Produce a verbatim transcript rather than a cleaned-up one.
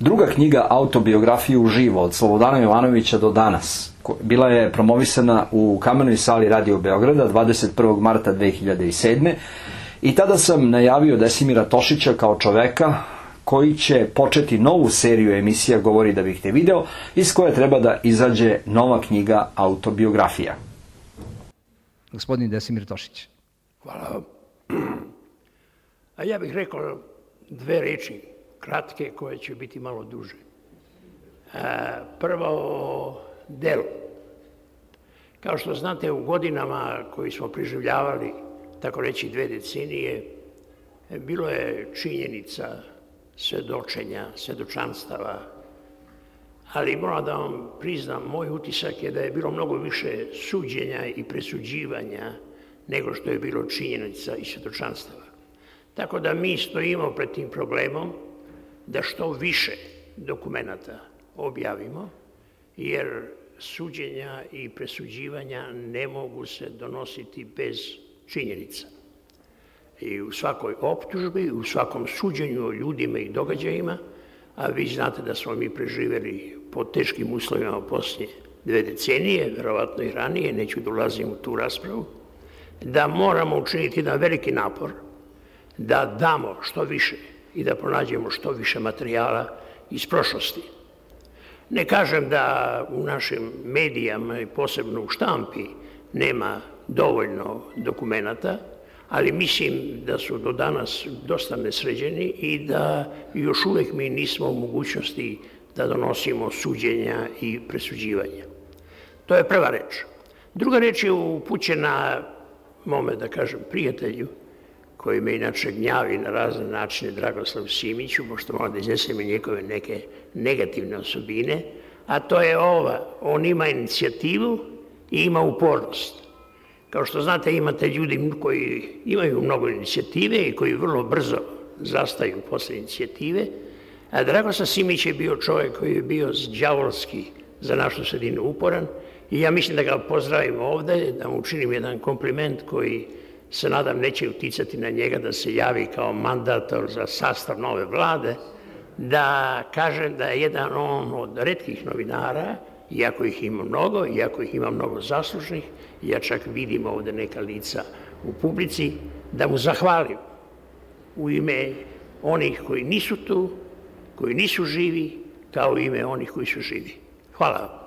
Druga knjiga, Autobiografiju uživo, od Slobodana Jovanovića do danas, bila je promovisana u Kamenoj sali Radio Beograda dvadeset prvog marta dve hiljade sedme. I tada sam najavio Desimira Tošića kao čoveka koji će početi novu seriju emisija Govori da bih te video, iz koje treba da izađe nova knjiga Autobiografija. Gospodin Desimir Tošić. Hvala vam. A ja bih rekao dve reči, kratke, koje će biti malo duže. Prvo o delu. Kao što znate, u godinama koji smo preživljavali, tako reći dve decenije, bilo je činjenica, svedočenja, svedočanstava, ali moram da vam priznam, moj utisak je da je bilo mnogo više suđenja i presuđivanja nego što je bilo činjenica i svedočanstava. Tako da mi stojimo pred tim problemom da što više dokumenata objavimo, jer suđenja i presuđivanja ne mogu se donositi bez činjenica. I u svakoj optužbi, u svakom suđenju o ljudima i događajima, a vi znate da smo mi preživjeli pod teškim uslovima poslije dve decenije, verovatno i ranije, neću da ulazim u tu raspravu, da moramo učiniti jedan veliki napor da damo što više i da pronađemo što više materijala iz prošlosti. Ne kažem da u našim medijama i posebno u štampi nema dovoljno dokumenata, ali mislim da su do danas dosta nesređeni i da još uvek mi nismo u mogućnosti da donosimo suđenja i presuđivanja. To je prva reč. Druga reč je upućena mome, da kažem, prijatelju, koji me inače gnjavi na razne načine, Dragoslav Simiću, pošto moram da iznesem i njegove neke negativne osobine, a to je ova, on ima inicijativu i ima upornost. Kao što znate, imate ljudi koji imaju mnogo inicijative i koji vrlo brzo zastaju posle inicijative, a Dragoslav Simić je bio čovjek koji je bio đavolski za našu sredinu uporan i ja mislim da ga pozdravim ovde, da mu učinim jedan kompliment koji se nadam neće uticati na njega da se javi kao mandator za sastav nove vlade, da kažem da je jedan on od retkih novinara, iako ih ima mnogo, iako ih ima mnogo zaslužnih, ja čak vidim ovde neka lica u publici, da mu zahvalim u ime onih koji nisu tu, koji nisu živi, kao u ime onih koji su živi. Hvala vam.